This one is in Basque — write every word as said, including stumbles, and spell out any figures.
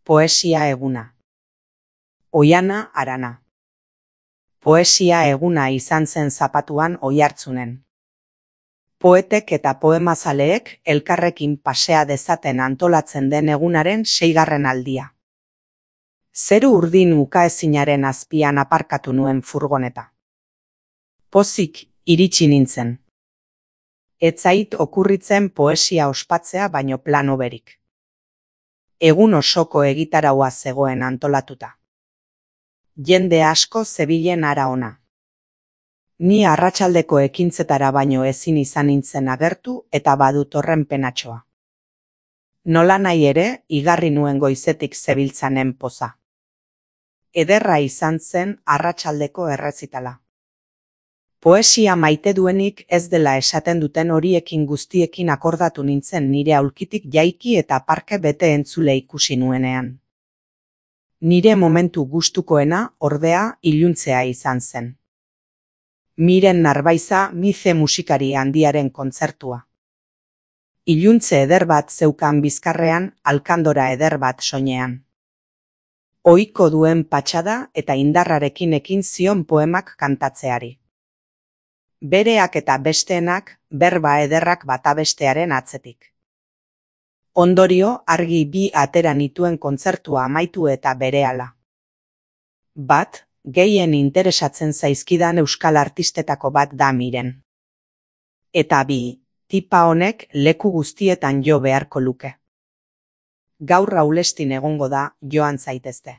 Poesia eguna. Oihana Arana. Poesia eguna izan zen Zapatuan Oiartzunen. Poetek eta poemazaleek elkarrekin pasea dezaten antolatzen den egunaren seigarren aldia. Zeru urdin ukaezinaren azpian aparkatu nuen furgoneta. Pozik iritsi nintzen. Ez zait okurritzen poesia ospatzea baino plano berik. Egun osoko egitaraua zegoen antolatuta. Jende asko zebilen hara ona. Ni arratsaldeko ekintzetara baino ezin izan nintzen agertu eta badut horren penatxoa. Nolanahi ere, igarri nuen goizetik zebiltzanen poza. Ederra izan zen arratsaldeko errezitala. Poesia maite duenik ez dela esaten duten horiekin guztiekin akordatu nintzen nire aulkitik jaiki eta parke bete entzule ikusi nuenean. Nire momentu gustukoena, ordea, iluntzea izan zen. Miren Narbaiza Mize musikari handiaren kontzertua. Iluntze eder bat zeukan bizkarrean, alkandora eder bat soinean. Ohiko duen patxada eta indarrarekin ekin zion poemak kantatzeari. Bereak eta besteenak, berba ederrak bata bestearen atzetik. Ondorio, argi bi atera nituen kontzertua amaitu eta berehala. Bat, gehien interesatzen zaizkidan euskal artistetako bat da Miren. Eta bi, tipa honek leku guztietan jo beharko luke. Gaur Aulestin egongo da, joan zaitezte.